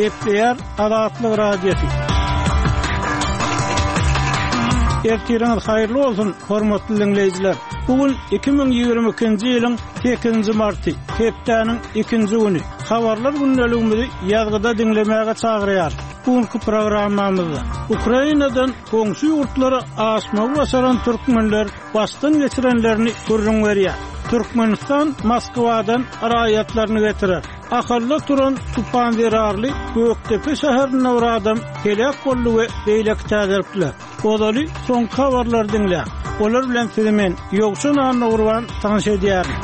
Gepleýär Azatlyk Radiosy. Ertiriňiz haýyrly bolsun, hormatly diňleýjiler! Bu gün 2022-nji ýylyň sekizinji marty, hepdäniň ikinji güni. Habarlar gündeligimizi ýazgyda diňlemäge çagyrýarys. Bu günki programmamyzda Ukrainadan goňşy ýurtlara aşmagy başaran türkmenler başdan geçirenlerini gürrüň berýär. Türkmenistan Moskwadan raýatlaryny getirer. Ahalda turan tupan zerarly Gökdepe şäherinde bir adam heläk boldy we beýleki täzelikler. Ozaly soňky habarlary diňläň. Olar bilen sizi men, Ýowşan Annagurban tanyş edýärin.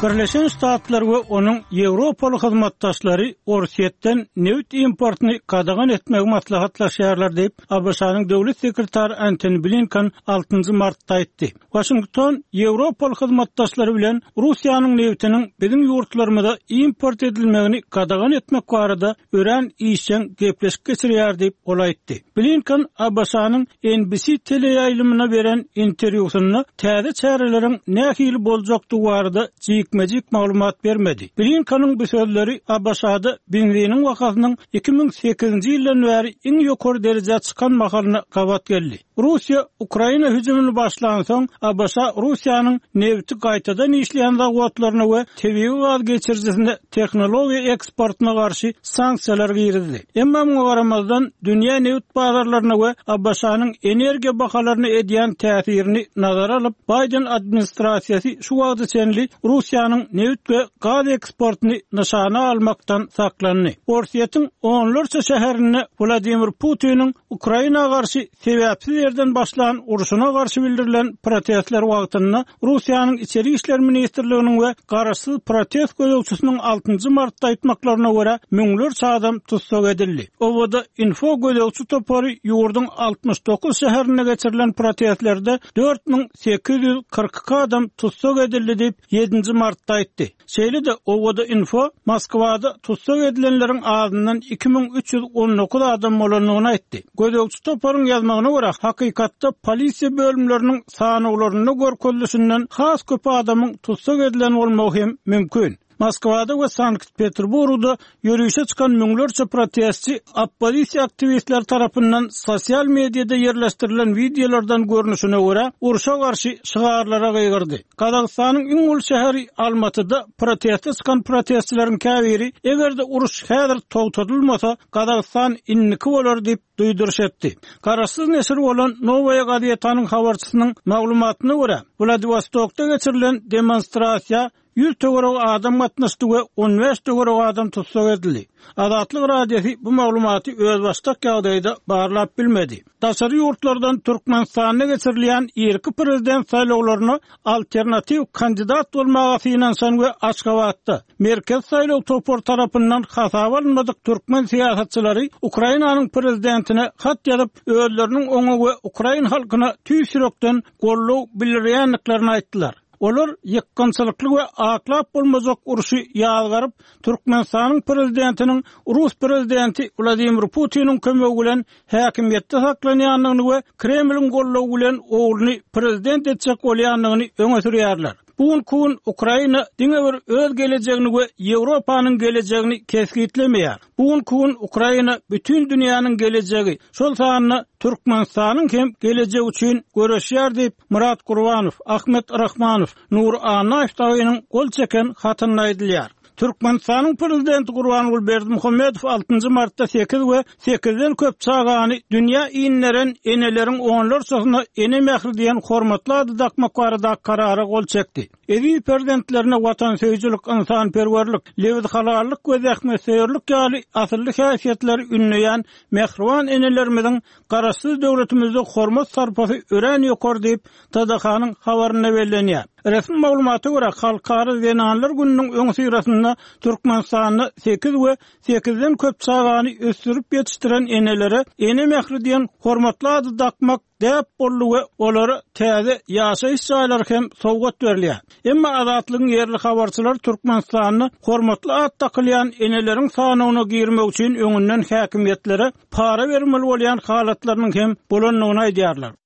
Birleşen Ştatlar we onuň ýewropaly hyzmatdaşlary Orsýetden nebit importyny gadagan etmegi maslahatlaşýarlar diýip, ABŞ-nyň döwlet sekretary Antony Blinken altynjy martda aýtdy. Waşington ýewropaly hyzmatdaşlary bilen Russiýanyň nebitiniň biziň ýurtlarymyza import edilmegini gadagan etmek barada örän işjeň gepleşik geçirýär diýip, ol aýtdy. Blinken ABŞ-nyň NBC teleýaýlymyna beren interwýusynda täze çäreleriň nähili boljakdygy barada jikme-jik maglumat bermedi. Blinkeniň bu sözleri ABŞ-da benziniň bahasynyň 2008-nji ýyldan bäri iň ýokary derejä çykan mahalyna gabat geldi. Russiýa Ukraina hüjümini başlansoň, ABŞ Russiýanyň nebiti gaýtadan işleýän zawodlaryna we tebigy gaz geçirijisine tehnologiýa eksportyna garşy sanksiýalar girizdi. Emma muňa garamazdan, dünýä nebit bazarlaryna we ABŞ-nyň energiýa bahalaryna edýän täsirini nazara alyp, Baýden administrasiýasy şu wagta çenli Russiýanyň nebit we gaz eksportyny nyşana almakdan saklandy. Orsýetiň onlarça şäherinde Wladimir Putiniň Ukraina garşy sebäpsiz ýerden başlan urşuna garşy bildirilen protestler wagtynda Russiýanyň Içeri işler ministrliginiň we garaşsyz protest gözegçisiniň altynjy martda aýtmaklaryna görä, müňlerçe adam tussag edildi. Obada Info gözegçi topary ýurduň 69 şäherinde geçirilen protestlerde 4842 adam tussag edildi diýip, ýedinji martda aýtdy. Şeýle-de, Owada-info Moskwada tussag edilenleriň azyndan 2319 adam bolandygyny aýtdy. Gözegçi toparyň ýazmagyna görä, hakykatda polisiýa bölümleriniň sanawlarynda görkezilişinden has köp adamyň tussag edilen bolmagy hem mümkin. Moskwada we Sankt-Peterburgda Ýörişe çykan müňlerçe protestçi oppozisiýa aktiwistleri tarapyndan sosial mediada ýerleşdirilen wideolardan görnüşine görä, urşa garşy şygarlara gygyrdy. Gazagystanyň iň uly şäheri Almatyda proteste çykan protestçileriň käbiri, eger-de uruş häzir togtadylmasa, Gazagystan indiki bolar diýip duýduryş etdi. Garaşsyz neşir bolan Nowaýa gazetanyň habarçysynyň maglumatyna görä, Wladiwostokda geçirilen demonstrasiýa 100 töweregi adam gatnaşdy we 15 töweregi adam tussag edildi. Azatlyk Radiosy bu maglumaty özbaşdak ýagdaýda barlap bilmedi. Daşary ýurtlardan Türkmenistanda geçirilýän irki prezident saýlawlaryna alternatiw kandidat bolmaga synanyşan we Aşgabatda Merkezi saýlaw topary tarapyndan hasaba alynmadyk türkmen syýasatçylary Ukrainanyň prezidentine hat ýazyp, özleriniň oňa we ukrain halkyna tüýs ýürekden goldaw bildirýändiklerini aýtdylar. Olar ýykgynçylykly we aklap bolmajak urşy ýazgaryp, Türkmenistanyň prezidentiniň rus prezidenti Wladimir Putiniň kömegi bilen häkimiýetde saklanýandygyny we Kremliň goldawy bilen ogluny prezident etjek bolýandygyny öňe sürýärler. Bu günki gün Ukraina diňe bir öz gelejegini we Ýewropanyň gelejegini kesgitlemeýär. Bu günki gün Ukraina bütin dünýäniň gelejegi, şol sanda Türkmenistanyň hem gelejegi üçin göreşýär diýip, Myrat Gurbanow, Ahmet Rahmanow, Nury Annaýew dagynyň gol çeken hatynda aýdylýar. Türkmenistanyň Prezidenti Gurbanguly Berdimuhamedow altynjy martda sekiz we sekizden köp çagany dünýä inderen eneleriň onlarçasyna Ene mähri diýen hormatly ady dakmak baradaky Karara gol çekdi. Eziz perzentlerine watansöýüjilik, ynsanperwerlik, lebzihalallyk we zähmetsöýerlik ýaly asylly häsiýetleri ündeýän mähriban enelerimiziň Garaşsyz döwletimizde hormat-sarpasy örän ýokary diýip, TDH-nyň habarynda bellenýär. Resmi maglumata görä, Halkara zenanlar gününiň öňüsyrasynda Türkmenistanda sekiz we sekizden köp çagany ösdürip ýetişdiren enelere Ene mähri diýen hormatly ady dakmak däp boldy we olara täze ýaşaýyş jaýlary hem sowgat berilýär. Emma Azatlygyň ýerli habarçylary Türkmenistanda hormatly at dakylýan eneleriň sanawyna girmek üçin öňünden häkimiýetlere para bermeli bolýan halatlarynyň hem bolandygyny aýdýarlar.